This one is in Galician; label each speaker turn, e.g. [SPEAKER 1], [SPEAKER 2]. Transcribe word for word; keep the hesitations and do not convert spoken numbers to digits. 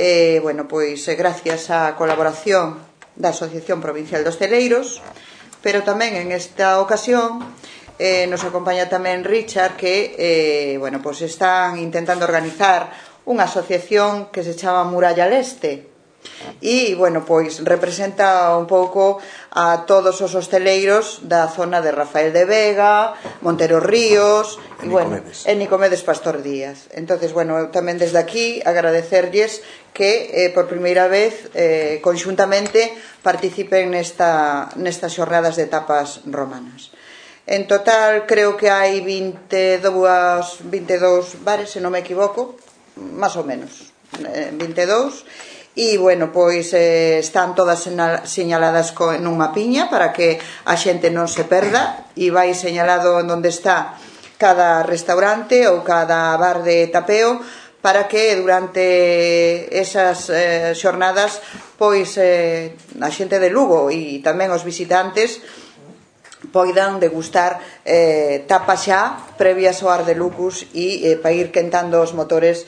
[SPEAKER 1] eh, bueno, pois gracias á colaboración da Asociación Provincial de Hostaleiros, pero tamén en esta ocasión eh, nos acompaña tamén Richard, que eh, bueno, pois están intentando organizar unha asociación que se chama Muralla Leste. E, bueno, pois representa un pouco a todos os hostaleiros da zona de Rafael de Vega, Montero Ríos e, bueno, e Nicomedes Pastor Díaz. Entonces, bueno, tamén desde aquí agradecerlles que eh, por primeira vez eh, conxuntamente participen nesta, nestas xornadas de tapas romanas. En total creo que hai vinte e dous bares, se non me equivoco, máis ou menos, eh, vinte e dous. E, bueno, pois eh, están todas señaladas co, nunha piña para que a xente non se perda, e vai señalado en onde está cada restaurante ou cada bar de tapeo, para que durante esas eh, xornadas pois eh, a xente de Lugo e tamén os visitantes poidan degustar eh, tapas xa previas ao Ar de Lucus e eh, para ir quentando os motores